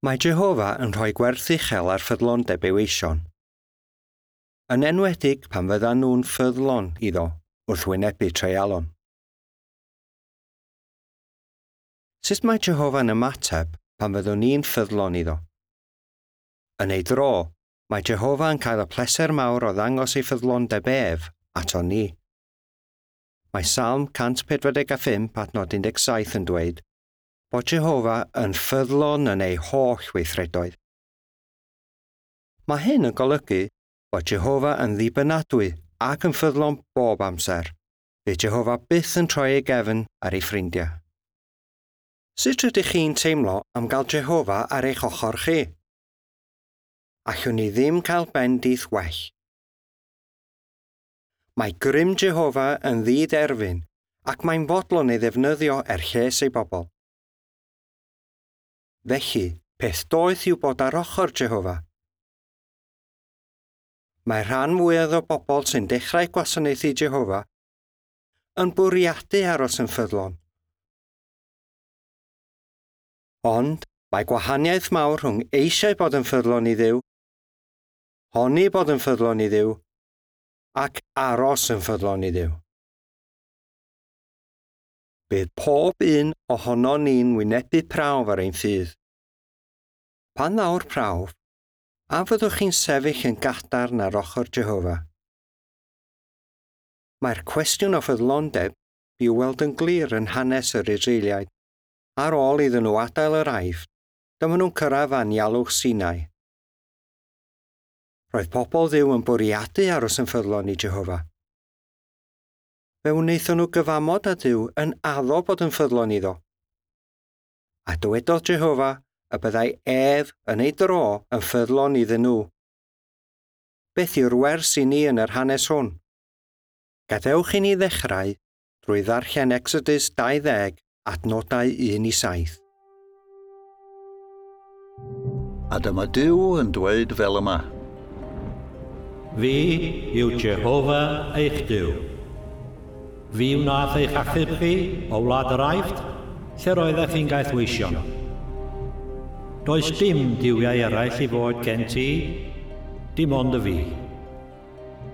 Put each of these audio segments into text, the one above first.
Mae Jehofa yn rhoi gwerth uchel ar ffyddlondeb ei weision. Yn enwedig pan fyddan nhw'n ffyddlon iddo wrth wynebu treialon. Sut mae Jehofa'n ymateb pan fyddwn ni'n ffyddlon iddo? Yn ei dro, mae Jehofa yn cael y pleser mawr o ddangos ei ffyddlondeb ef ato ni. Mae Salm 145 adnod 17 yn dweud bod Jehofa yn ffyddlon yn ei holl weithredoedd. Mae hyn yn golygu bod Jehofa yn ddibynadwy ac yn ffyddlon bob amser. Fydd Jehofa byth yn troi ei gefn ar ei ffrindiau. Sut rydych chi'n teimlo am gael Jehofa ar eich ochr chi? Allwn ni ddim cael bendith well. Mae grym Jehofa yn ddiderfyn ac mae'n fodlon ei ddefnyddio er lles ei bobl. Felly, peth doeth yw bod ar ochr Jehofa. Mae rhan mwyaf o bobl sy'n dechrau gwasanaethu Jehofa yn bwriadu aros yn ffyddlon. Ond mae gwahaniaeth mawr rhwng eisiau bod yn ffyddlon i Dduw, honni bod yn ffyddlon i Dduw, ac aros yn ffyddlon i Dduw. Bydd pob un ohonon ni'n wynebu prawf ar ein ffydd. Pan ddaw'r prawf, a fyddwch chi'n sefyll yn gadarn ar ochr Jehofa? Mae'r cwestiwn o ffyddlondeb i'w weld yn glir yn hanes yr Israeliaid. Ar ôl iddyn nhw adael yr Aifft, dyma nhw'n cyrraedd anialwch Sinai. Roedd pobl Dduw yn bwriadu aros yn ffyddlon i Jehofa. Fe wnaethon nhw gyfamod â Duw yn addo bod yn ffyddlon iddo. A dywedodd Jehofa y byddai ef yn ei dro yn ffyddlon iddyn nhw. Beth yw'r wers i ni yn yr hanes hwn? Gadewch i ni ddechrau drwy ddarllen Exodus 20 adnodau 1 i 7. A dyma Duw yn dweud fel yma. Fi yw Jehofa eich Duw. Fi wnaeth eich achub chi o wlad yr Aifft, lle roeddech chi'n gaethweision. Does dim duwiau eraill i fod gen ti, dim ond y fi.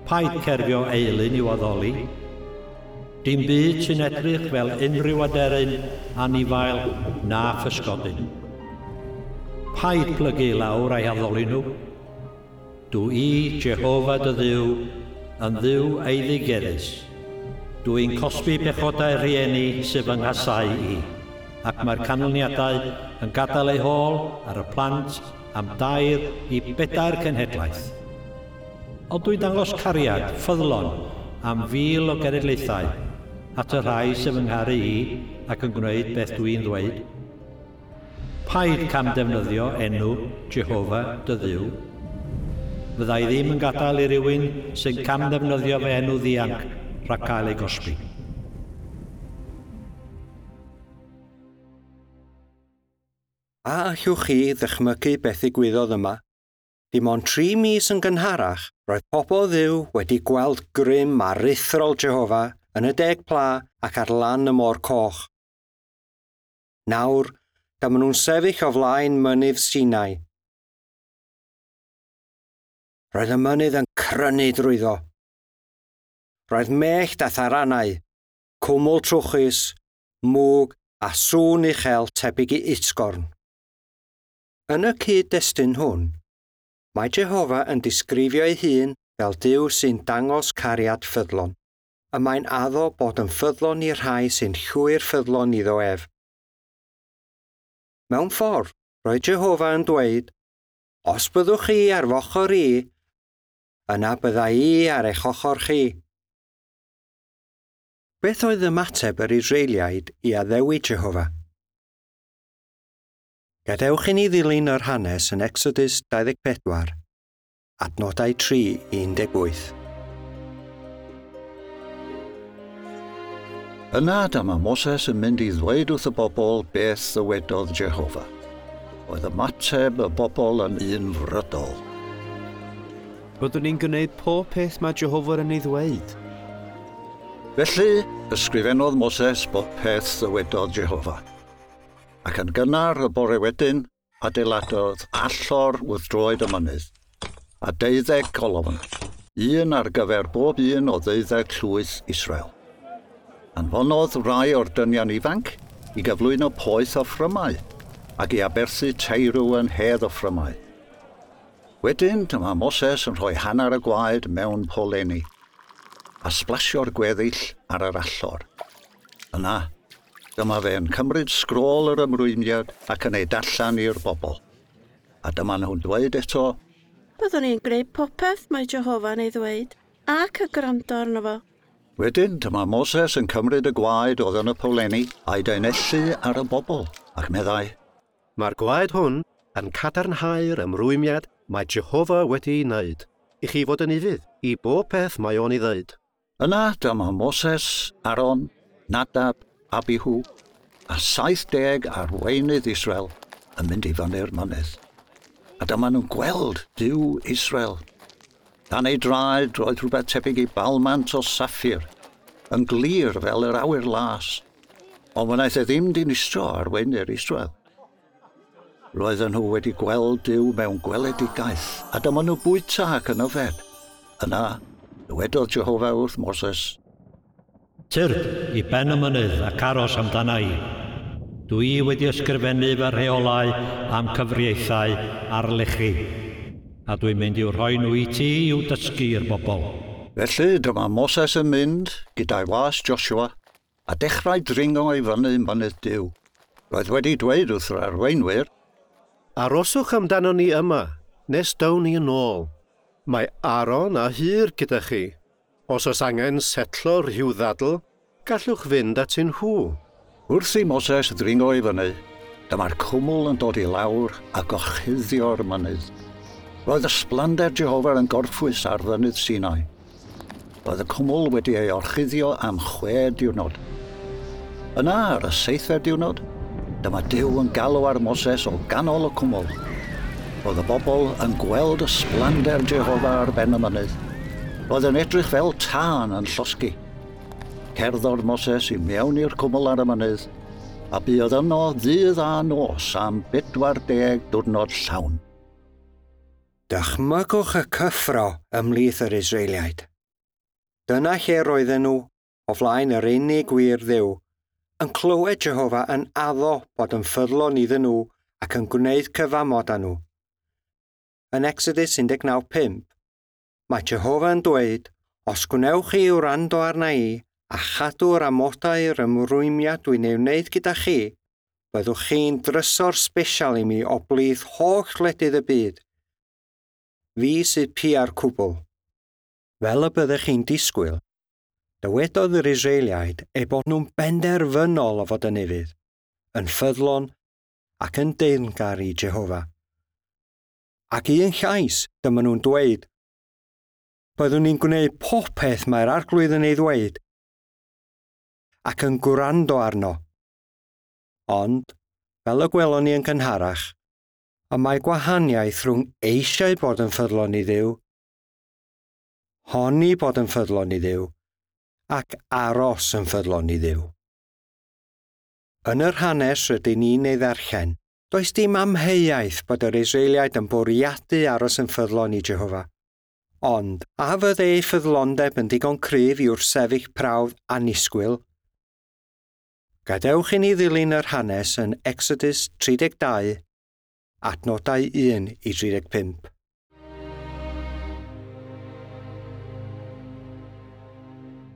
Paid cerfio eilun i'w addoli. Dim byd sy'n edrych fel unrhyw aderyn, anifail na physgodyn. Paid plygu i lawr a'i addoli nhw. Dw i, Jehofa dy Dduw, yn Dduw eiddigeddus. Dw i'n cosbi pechodau rhieni sydd fy nghasau i, ac mae'r canlyniadau yn gadael eu hôl ar y plant am 2 i 4 cenhedlaeth. Ond dwi'n dangos cariad ffyddlon am 1,000 o genedlaethau at y rhai sydd fy ngharu i ac yn gwneud beth dwi'n ddweud. Paid camddefnyddio enw Jehofa dy Dduw. Fydda i ddim yn gadael i rywun sy'n camddefnyddio fy enw ddianc rhag cael ei gosbi. A allwch chi ddychmygu beth ddigwyddodd yma? Dim ond 3 mis yn gynharach, roedd pobl Dduw wedi gweld grym aruthrol Jehofa yn y 10 pla ac ar lan y môr coch. Nawr, dyma nhw'n sefyll o flaen mynydd Sinai. Roedd y mynydd yn crynu drwyddo. Roedd mellt a tharanau, cwmwl trwchus, mwg a sŵn uchel tebyg i utgorn. Yn y cyd-destun hwn, mae Jehofa yn disgrifio ei hun fel Duw sy'n dangos cariad ffyddlon, y mae'n addo bod yn ffyddlon i'r rhai sy'n llwyr ffyddlon iddo ef. Mewn ffordd, roedd Jehofa yn dweud, os byddwch chi ar f'ochr i, yna bydda i ar eich ochr chi. Beth oedd ymateb yr Israeliaid i addewid Jehofa? Gadewch i ni ddilyn yr hanes yn Exodus 24, adnodau 3 i 18. Yna dyma Moses yn mynd i ddweud wrth y bobl beth ddywedodd Jehofa. Oedd ymateb y bobl yn unfrydol. Byddwn ni'n gwneud pob peth mae Jehofa yn ei ddweud. Felly, ysgrifennodd Moses bob peth ddywedodd Jehofa. Ac yn gynnar y bore wedyn, adeiladodd allor wrth droed y mynydd, a 12 colofn, un ar gyfer bob un o 12 llwyth Israel. Anfonodd rai o'r dynion ifanc i gyflwyno poeth offrymau ac i aberthu teirw yn hedd offrymau. Wedyn, dyma Moses yn rhoi hanner y gwaed mewn poleni a splasio'r gweddill ar yr allor. Yna, dyma fe'n cymryd sgrôl yr ymrwymiad ac yn ei darllen i'r bobl. A dyma nhw'n dweud eto, Byddwn ni'n gwneud popeth mae Jehofa'n ei ddweud ac yn gwrando arno fo. Wedyn, dyma Moses yn cymryd y gwaed oedd yn y powlenni a'i daenellu ar y bobl, ac meddai, Mae'r gwaed hwn yn cadarnhau'r ymrwymiad mae Jehofa wedi'i wneud, i chi fod yn ufudd i bob peth mae o'n ei ddeud. Yna dyma Moses, Aaron, Nadab, Abihu a 70 arweinydd Israel yn mynd i fyny'r mynydd. A dyma nhw'n gweld Duw Israel. Dan ei draed roedd rhywbeth tebyg i balmant o saffir, yn glir fel yr awyr las, ond wnaeth e ddim dinistro arweinydd Israel. Roedden nhw wedi gweld Duw mewn gweledigaeth, a dyma nhw bwyta ac yn yfed. Yna, dywedodd Jehofa wrth Moses, Tyrd i ben y mynydd ac aros amdana i. Dwi wedi ysgrifennu fy rheolau am cyfreithiau ar lechi, a dwi'n mynd i'w rhoi nhw i ti i'w dysgu i'r bobl. Felly dyma Moses yn mynd gyda'i was Joshua a dechrau dringo i fyny mynydd Duw. Roedd wedi dweud wrth yr arweinwyr, Aroswch amdano ni yma, nes down ni yn ôl. Mae Aaron a Hur gyda chi. Os oes angen setlo rhyw ddadl, gallwch fynd atyn nhw. Wrth i Moses ddringo i fyny, dyma'r cwmwl yn dod i lawr a gorchuddio'r mynydd. Roedd ysblander Jehofa yn gorffwys ar fynydd Sinai. Roedd y cwmwl wedi ei orchuddio am 6 diwrnod. Yna, ar y 7fed diwrnod, dyma Duw yn galw ar Moses o ganol y cwmwl. Roedd y bobl yn gweld ysblander Jehofa ar ben y mynydd. Roedd yn edrych fel tân yn llosgi. Cerddodd Moses i mewn i'r cwmwl ar y mynydd, a buodd yno ddydd a nos am 40 diwrnod llawn. Dychmygwch y cyffro ymhlith yr Israeliaid. Dyna lle roedden nhw, o flaen yr unig wir Dduw, yn clywed Jehofa yn addo bod yn ffyddlon iddyn nhw ac yn gwneud cyfamod â nhw. Yn Exodus 19:5, mae Jehofa yn dweud, os gwnewch chi wrando arna i a chadw'r amodau'r ymrwymiad dwi'n ei wneud gyda chi, byddwch chi'n drysor sbesial i mi o blith holl wledydd y byd. Fi sydd pia'r cwbl. Fel y byddech chi'n disgwyl, dywedodd yr Israeliaid eu bod nhw'n benderfynol o fod yn ufudd, yn ffyddlon ac yn deyrngar i Jehofa. Ac un llais, dyma nhw'n dweud, byddwn ni'n gwneud popeth mae'r arglwydd yn ei ddweud ac yn gwrando arno. Ond, fel y gwelon ni yn gynharach, y mae gwahaniaeth rhwng eisiau bod yn ffyddlon i Dduw, honni bod yn ffyddlon i Dduw, ac aros yn ffyddlon i Dduw. Yn yr hanes rydyn ni'n ei ddarllen, does dim amheuaeth bod yr Israeliaid yn bwriadu aros yn ffyddlon i Jehofa. Ond, a fydde ei ffyddlondeb yn digon cryf i wrthsefyll prawf annisgwyl? Gadewch i ni ddilyn yr hanes yn Exodus 32, adnodau 1 i 35.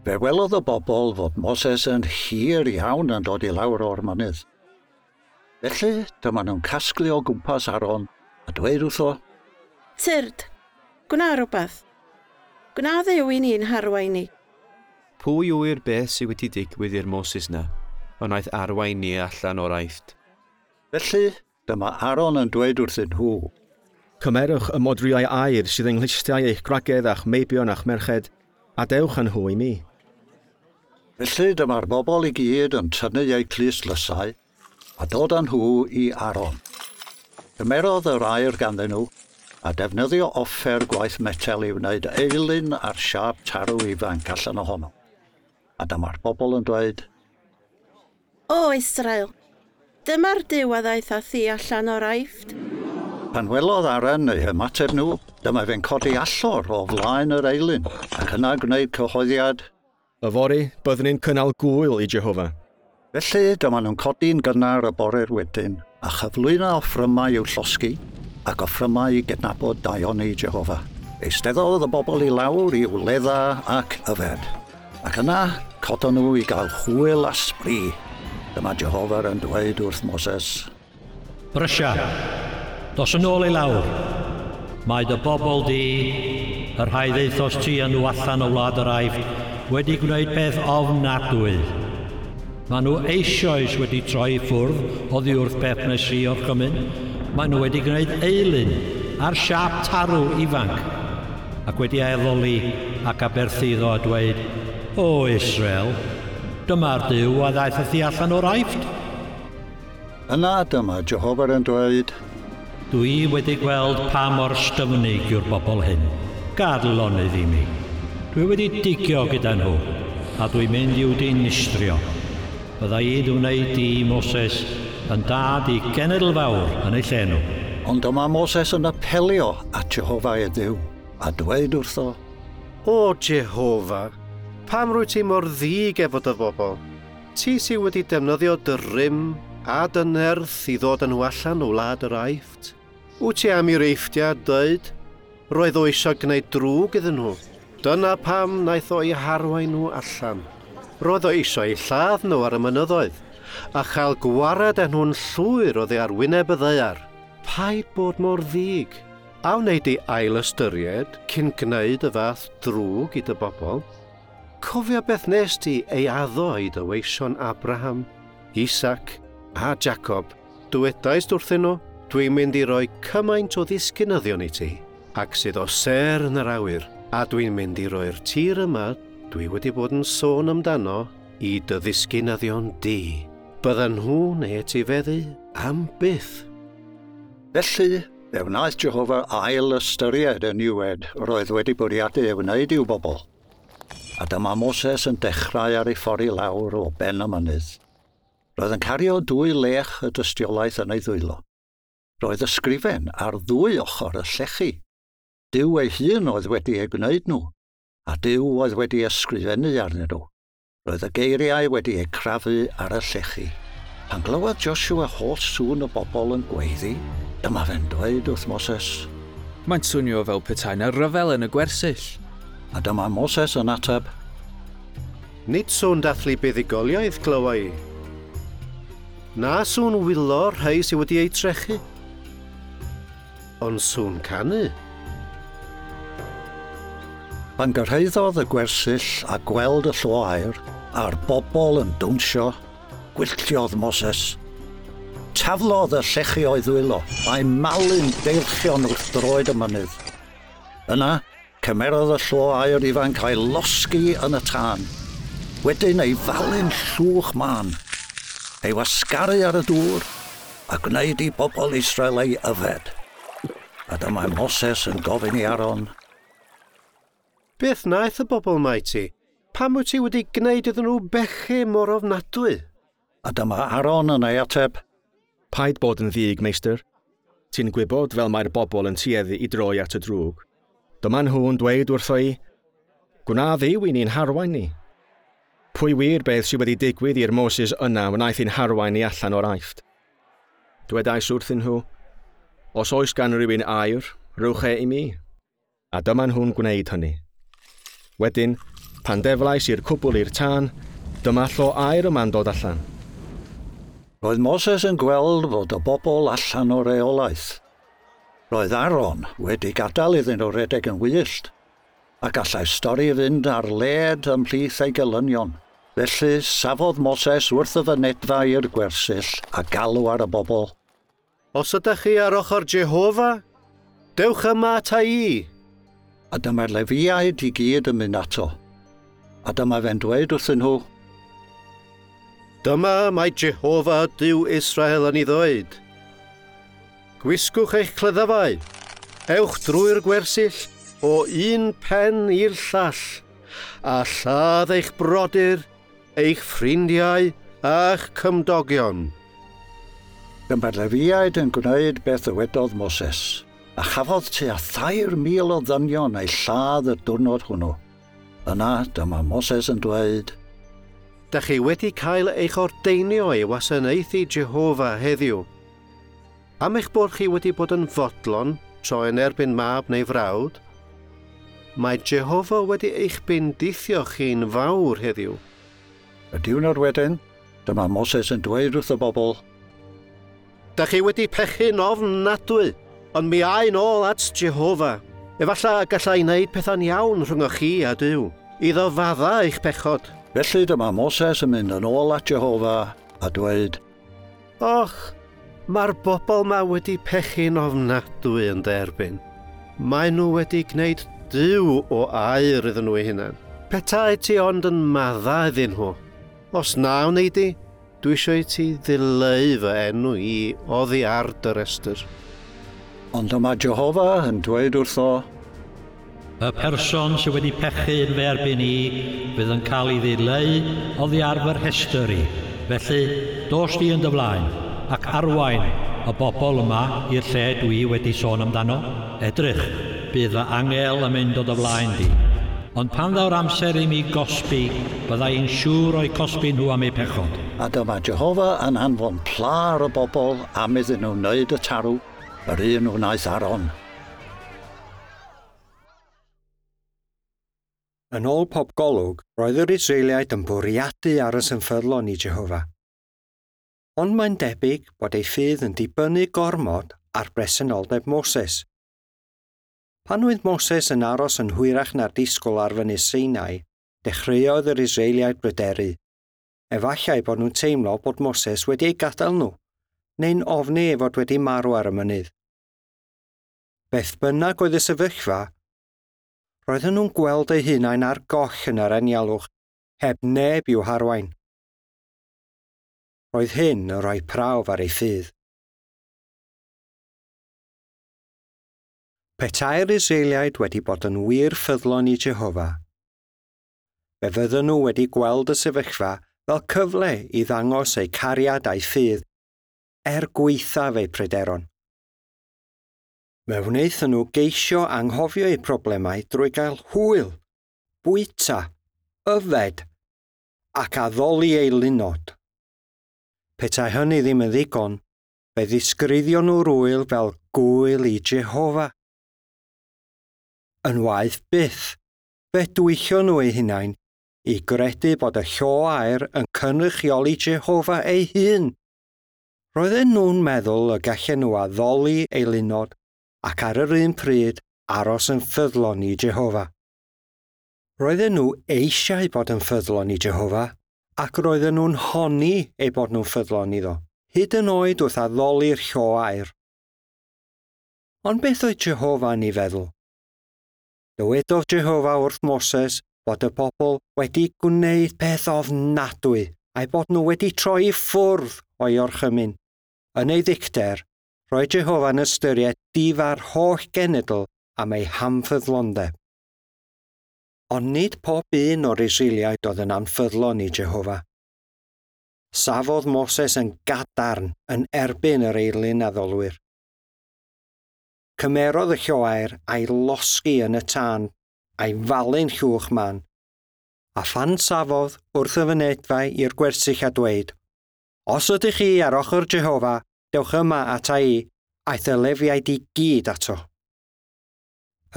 Fe welodd y bobl fod Moses yn hir iawn yn dod i lawr o'r mynydd. Felly, dyma nhw'n casglu o gwmpas Aaron a dweud wrtho, Tyrd, gwna rhywbeth. Gwna Dduw i ni'n harwain ni. Pwy yw'r beth sydd wedi digwydd i'r Moses na, ond wnaeth arwain ni allan o'r Aifft? Felly, dyma Aaron yn dweud wrthyn nhw, Cymerwch y modrwyau aur sydd yng nghlustiau eich gwragedd a'ch meibion a'ch merched, a dewch â nhw i mi. Felly dyma'r bobl i gyd yn tynnu eu clustdlysau a dod â nhw i Aaron. Cymerodd yr aur ganddyn nhw a defnyddio offer gwaith metel i wneud eilun ar siâp tarw ifanc allan ohono. A dyma'r bobl yn dweud, O Israel, Dyma'r Duw a ddaeth â thi allan o'r Aifft. Pan welodd Aaron eu hymateb nhw, dyma fe'n codi allor o flaen yr eilun, ac yna gwneud cyhoeddiad. Yfory, byddwn ni'n cynnal gwyl i Jehofa. Felly, dyma nhw'n codi'n gynnar y bore'r wedyn, a chyflwyno offrymau i'w llosgi, ac offrymau i gydnabod daioni Jehofa. Eisteddodd y bobl i lawr i wledda ac yfed. Ac yna, codon nhw i gael hwyl a sbri. Dyma Jehofa yn dweud wrth Moses. Brysia, dos yn ôl i lawr. Mae dy bobl di, y rhai ddeithos ti â nhw allan o wlad yr Aifft, wedi gwneud peth ofnadwy. Maen nhw eisoes wedi troi ffwrdd oddi wrth beth wnes i orchymyn. Maen nhw wedi gwneud eilun ar siâp tarw ifanc, ac wedi addoli ac aberthu iddo a dweud, O Israel, dyma'r Duw a ddaeth â thi allan o'r Aifft. Yna dyma Jehofa yn dweud, Dwi wedi gweld pa mor styfnig yw'r bobl hyn. Gad lonydd i mi. Dwi wedi digio gyda nhw, a dwi'n mynd i'w dinistrio. Bydda i dy wneud di, Moses, yn dad i genedl fawr yn eu lle nhw. Ond dyma Moses yn apelio at Jehofa ei Dduw, a dweud wrtho, O Jehofa, pam rwy ti mor ddig efo dy bobl? Ti sydd wedi defnyddio dy rym a dy nerth i ddod â nhw allan o wlad yr Aifft. Wyt ti am i'r Eifftiad dweud? Roedd o eisiau gwneud drwg iddyn nhw. Dyna pam wnaeth o eu harwain nhw allan. Roedd o eisiau eu lladd nhw ar y mynyddoedd, a chael gwared â nhw'n llwyr oddi ar wyneb y ddaear. Paid bod mor ddig. A wneud i ail ystyried cyn gwneud y fath drwg i dy bobl? Cofio beth nes ti ei addo i dy weision Abraham, Isaac a Jacob. Dwedaist wrthyn nhw, dwi'n mynd i roi cymaint o ddisgynyddion i ti, ac sydd o sêr yn yr awyr, a dwi'n mynd i roi'r tir yma dwi wedi bod yn sôn amdano i dy ddisgynyddion di. Byddan nhw'n ei etifeddu am byth. Felly, fe wnaeth Jehofa ail ystyried y niwed roedd wedi bwriadu ei wneud i'w bobl. A dyma Moses yn dechrau ar ei ffordd i lawr o ben y mynydd. Roedd yn cario dwy lech y dystiolaeth yn ei ddwylo. Roedd ysgrifen ar ddwy ochr y llechi. Duw ei hun oedd wedi ei gwneud nhw, a Duw oedd wedi ysgrifennu arnyn nhw. Roedd y geiriau wedi eu crafu ar y llechi. Pan glywodd Joshua holl sŵn y bobl yn gweiddi, dyma fe'n dweud wrth Moses. Mae'n swnio fel petai 'na ryfel yn y gwersyll. A dyma Moses yn ateb, Nid sŵn dathlu buddugoliaeth glywa i. Na sŵn wylo rhai sydd wedi eu trechu, ond sŵn canu. Pan gyrhaeddodd y gwersyll a gweld y llo aur, a'r bobl yn dawnsio, gwylltiodd Moses. Taflodd y llechi o'i ddwylo, a'i malu'n deilchion wrth droed y mynydd. Yna, cymerodd y llo aur ifanc a'i losgi yn y tân. Wedyn ei falu'n llwch mân, ei wasgaru ar y dŵr, a gwneud i bobl Israel ei yfed. A dyma Moses yn gofyn i Aaron, Beth wnaeth y bobl 'ma i ti? Pam wyt ti wedi gwneud iddyn nhw bechu mor ofnadwy? A dyma Aaron yn ei ateb, Paid bod yn ddig, meistr. Ti'n gwybod fel mae'r bobl yn tueddu i droi at y drwg. Dyma nhw'n dweud wrtho i, gwna Dduw i ni'n harwain ni. Pwy wir beth sydd wedi digwydd i'r Moses yna wnaeth i'n harwain ni allan o'r Aifft? Dwedais wrthyn nhw, os oes gan rywun aur, rhowch e i mi. A dyma nhw'n gwneud hynny. Wedyn, pan deflais i'r cwbl i'r tân, dyma llo aur yma'n dod allan. Roedd Moses yn gweld fod y bobl allan o reolaeth. Roedd Aaron wedi gadael iddyn nhw redeg yn wyllt, a gallai stori fynd ar led ymhlith ei gelynion. Felly, safodd Moses wrth y fynedfa i'r gwersyll a galw ar y bobl. Os ydych chi ar ochr Jehofa, dewch yma ata i. A dyma'r Lefiaid i gyd yn mynd ato. A dyma fe'n dweud wrthyn nhw, Dyma mae Jehofa Duw Israel yn ei ddweud. Gwisgwch eich cleddyfau, ewch drwy'r gwersyll o un pen i'r llall, a lladd eich brodyr, eich ffrindiau a'ch cymdogion. Dyma'r Lefiaid yn gwneud beth ddywedodd Moses, a chafodd tua 3,000 o ddynion eu lladd y diwrnod hwnnw. Yna dyma Moses yn dweud, Da chi wedi cael eich ordeinio i wasanaethu Jehofa heddiw. Am eich bod chi wedi bod yn fodlon tro yn erbyn mab neu frawd, mae Jehofa wedi eich bendithio chi'n fawr heddiw. Y diwrnod wedyn, dyma Moses yn dweud wrth y bobl, Da chi wedi pechu'n ofnadwy, ond mi ai'n ôl at Jehofa. Efallai gallai wneud pethau'n iawn rhwng chi a Duw, iddo fadda eich pechod. Felly dyma Moses yn mynd yn ôl at Jehofa a dweud, Och, mae'r bobl ma wedi pechu'n ofnadwy yn derbyn. Maen nhw wedi gwneud Duw o aur iddyn nhw eu hunain. Petai ti ond yn madda iddyn nhw. Os na wnei di, dwi eisiau i ti ddileu fy enw i oddi ar dy restr. Ond dyma Jehofa yn dweud wrtho, Y person sydd wedi pechu yn fy erbyn i fydd yn cael ei ddileu oddi ar fy rhestr i. Felly, dos di yn dy flaen ac arwain y bobl yma i'r lle dwi wedi sôn amdano. Edrych, bydd fy angel yn mynd o dy flaen di. Ond pan ddaw'r amser i mi gosbi, bydda i'n siŵr o'i cosbi nhw am eu pechod. A dyma Jehofa yn anfon pla ar y bobl am iddyn nhw wneud y tarw, yr un wnaeth Aaron. Yn ôl pob golwg, roedd yr Israeliaid yn bwriadu aros yn ffyddlon i Jehofa. Ond mae'n debyg bod ei ffydd yn dibynnu gormod ar bresenoldeb Moses. Pan oedd Moses yn aros yn hwyrach na'r disgwyl ar fynydd Sinai, dechreuodd yr Israeliaid bryderu. Efallai bod nhw'n teimlo bod Moses wedi ei gadael nhw, neu'n ofni ei fod wedi marw ar y mynydd. Beth bynnag oedd y sefyllfa, roedden nhw'n gweld eu hunain ar goll yn yr anialwch, heb neb i'w harwain. Roedd hyn yn rhoi prawf ar ei ffydd. Petai'r Israeliaid wedi bod yn wir ffyddlon i Jehofa, fe fydden nhw wedi gweld y sefyllfa fel cyfle i ddangos eu cariad a'i ffydd, er gwaethaf eu pryderon. Fe wnaethon nhw geisio anghofio eu problemau drwy gael hwyl, bwyta, yfed ac addoli eu lunod. Petai hynny ddim yn ddigon, fe ddisgrifio nhw'r wyl fel gwyl i Jehofa. Yn waeth byth, fe dwyllio nhw eu hunain i gredu bod y llo aur yn cynrychioli Jehofa ei hun. Roedden nhw'n meddwl y gallen nhw addoli eu lunod ac ar yr un pryd aros yn ffyddlon i Jehofa. Roedden nhw eisiau bod yn ffyddlon i Jehofa ac roedden nhw'n honni eu bod nhw'n ffyddlon iddo, hyd yn oed wrth addoli'r llo aur. Ond beth oedd Jehofa yn ei feddwl? Dywedodd Jehofa wrth Moses bod y bobl wedi gwneud peth ofnadwy a'i bod nhw wedi troi i ffwrdd o'i orchymyn. Yn ei ddicter, roedd Jehofa'n ystyried difa'r holl genedl am ei hamffyddlondeb. Ond nid pob un o'r Israeliaid oedd yn anffyddlon i Jehofa. Safodd Moses yn gadarn yn erbyn yr eilun addolwyr. Cymerodd y lloer a'i losgi yn y tân, a'i falu'n llwch man. A phan safodd wrth y fynedfa i'r gwersyll a dweud, Os ydych chi ar ochr Jehofa, dewch yma ata i, aeth y Lefiaid i gyd ato.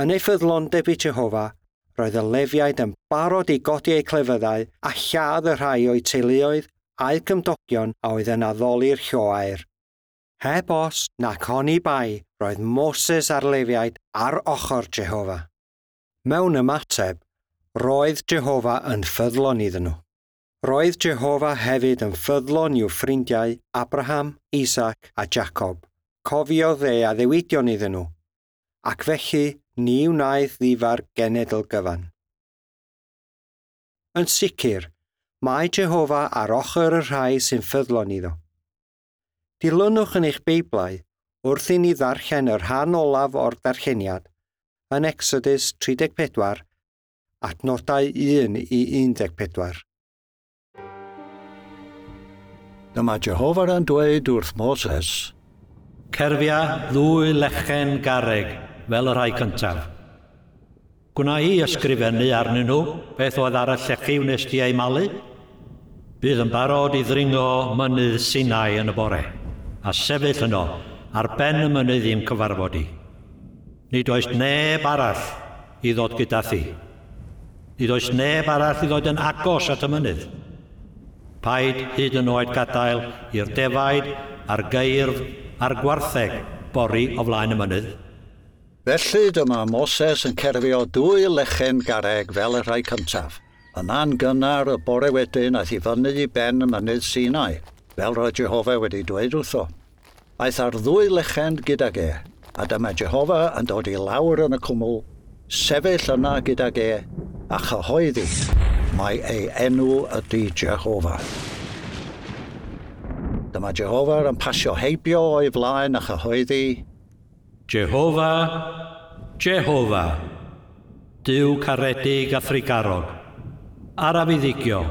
Yn ei ffyddlondeb i Jehofa, roedd y Lefiaid yn barod i godi eu clefyddau a lladd y rhai o'u teuluoedd a'u cymdogion a oedd yn addoli'r lloair. Heb os nac oni bai, roedd Moses a'r Lefiaid ar ochr Jehofa. Mewn ymateb, roedd Jehofa yn ffyddlon iddyn nhw. Roedd Jehofa hefyd yn ffyddlon i'w ffrindiau Abraham, Isaac a Jacob. Cofiodd e addewidion iddyn nhw, ac felly ni wnaeth ddifa'r genedl gyfan. Yn sicr, mae Jehofa ar ochr y rhai sy'n ffyddlon iddo. Dilynwch yn eich Beiblau wrth i ni ddarllen y rhan olaf o'r darlleniad yn Exodus 34, adnodau 1 i 14. Dyma Jehofa yn dweud wrth Moses, Cerfia ddwy lechen garreg fel y rhai cyntaf. Gwna i ysgrifennu arnyn nhw beth oedd ar y llechi wnes di ei malu. Bydd yn barod i ddringo mynydd Sinai yn y bore, a sefyll yno ar ben y mynydd i'm cyfarfod i. Nid oes neb arall i ddod gyda thi. Nid oes neb arall i ddod yn agos at y mynydd. Paid hyd yn oed gadael i'r defaid a'r geirf a'r gwartheg bori o flaen y mynydd. Felly dyma Moses yn cerfio dwy lechen garreg fel y rhai cyntaf. Yna'n gynnar y bore wedyn aeth i fyny i ben y mynydd Sinai, fel roedd Jehofa wedi dweud wrtho. Aeth ar ddwy lechen gydag e, a dyma Jehofa yn dod i lawr yn y cwmwl, sefyll yna gydag e, a chyhoeddi mai ei enw ydy Jehofa. Dyma Jehofa yn pasio heibio o'i flaen a chyhoeddi, Jehofa, Jehofa, Duw caredig a thrugarog, araf i ddigio,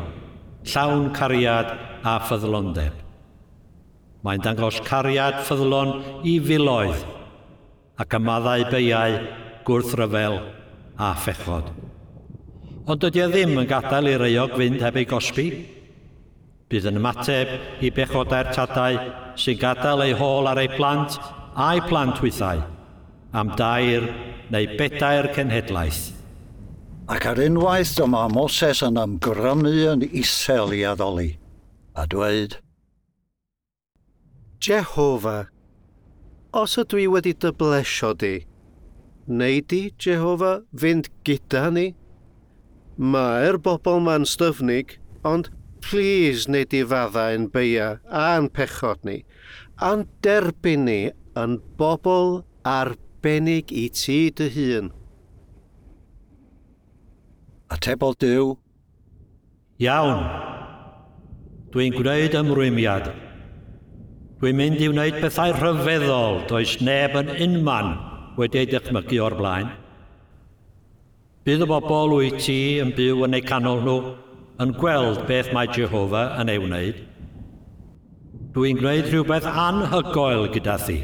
llawn cariad a ffyddlondeb. Mae'n dangos cariad ffyddlon i filoedd ac ymaddau beiau gwrthryfel a phechod. Ond dydy e ddim yn gadael i'r euog fynd heb ei gosbi. Bydd yn ymateb i bechodau'r tadau sy'n gadael eu hôl ar eu plant a'i plant hwythau am 3 neu 4 cenhedlaeth. Ac ar unwaith dyma Moses yn ymgrymu yn isel i addoli, a dweud, Jehofa, os ydw i wedi dy blesio di, neu di, Jehofa, fynd gyda ni? Mae'r bobl ma'n styfnig, ond plîs neu di fadda ein beia a'n pechod ni, a'n derbyn ni yn bobl arbennig i ti dy hun. Atebodd Duw, Iawn, dwi'n gwneud ymrwymiad. Dwi'n mynd i wneud pethau rhyfeddol does neb yn unman wedi ei dychmygu o'r blaen. Bydd y bobl wyt ti yn byw yn eu canol nhw yn gweld beth mae Jehofa yn ei wneud. Dwi'n gwneud rhywbeth anhygoel gyda thi.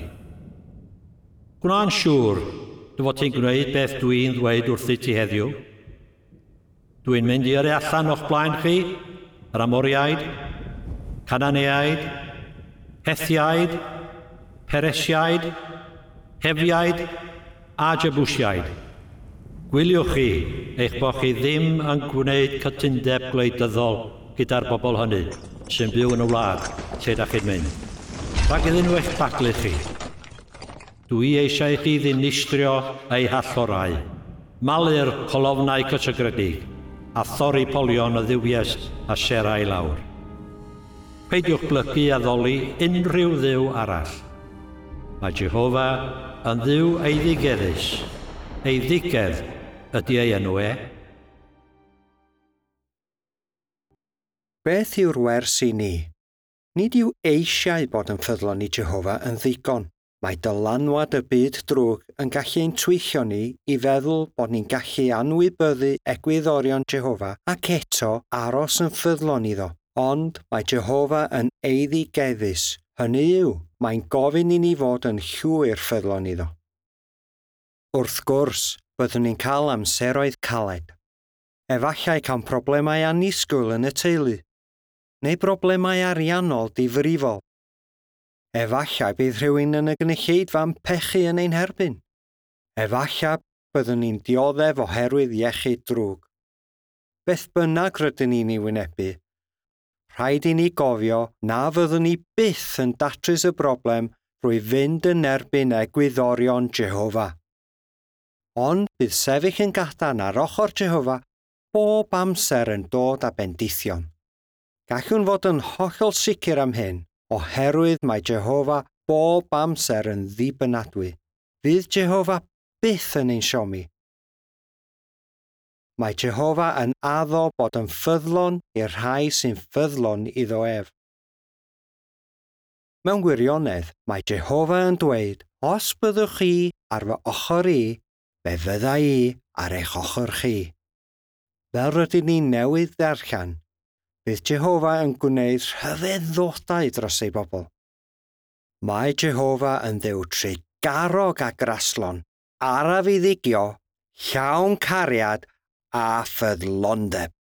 Gwna'n siŵr dy fod ti'n gwneud beth dwi'n ddweud wrthyt ti heddiw. Dwi'n mynd i yrru allan o'ch blaen chi, yr Amoriaid, Cananeaid, Hethiaid, Peresiaid, Hefiaid a Jebusiaid. Gwyliwch chi eich bod chi ddim yn gwneud cytundeb gwleidyddol gyda'r bobl hynny sy'n byw yn y wlad lle da chi'n mynd. Rhag iddyn nhw eich baglu chi. Dwi eisiau i chi ddinistrio eu hallorau, malu'r colofnau cysegredig a thorri polion y dduwies a sera i lawr. Peidiwch blygu addoli unrhyw dduw arall. Mae Jehofa yn dduw eiddigeddus. Eiddigedd ydy ei enw e. Beth yw'r wers i ni? Nid yw eisiau bod yn ffyddlon i Jehofa yn ddigon. Mae dylanwad y byd drwg yn gallu ein twyllio ni i feddwl bod ni'n gallu anwybyddu egwyddorion Jehofa ac eto aros yn ffyddlon iddo. Ond mae Jehofa yn eiddigeddus. Hynny yw, mae'n gofyn i ni fod yn llwyr ffyddlon iddo. Wrth gwrs, byddwn ni'n cael amseroedd caled. Efallai cael problemau annisgwyl yn y teulu, neu broblemau ariannol difrifol. Efallai bydd rhywun yn y gynulleidfa'n pechu yn ein herbyn. Efallai byddwn ni'n dioddef oherwydd iechyd drwg. Beth bynnag rydyn ni'n ei wynebu, rhaid i ni gofio na fyddwn ni byth yn datrys y broblem drwy fynd yn erbyn egwyddorion Jehofa. Ond bydd sefyll yn gadarn ar ochr Jehofa bob amser yn dod â bendithion. Gallwn fod yn hollol sicr am hyn, oherwydd mae Jehofa bob amser yn ddibynadwy. Fydd Jehofa byth yn ein siomi. Mae Jehofa yn addo bod yn ffyddlon i'r rhai sy'n ffyddlon iddo ef. Mewn gwirionedd, mae Jehofa yn dweud, os byddwch chi ar fy ochr i, fe fydda i ar eich ochr chi. Fel rydyn ni newydd ddarllen, Bydd Jehofa yn gwneud rhyfeddodau dros ei bobl. Mae Jehofa yn ddew trugarog a graslon, araf i ddigio, llawn cariad a ffyddlondeb.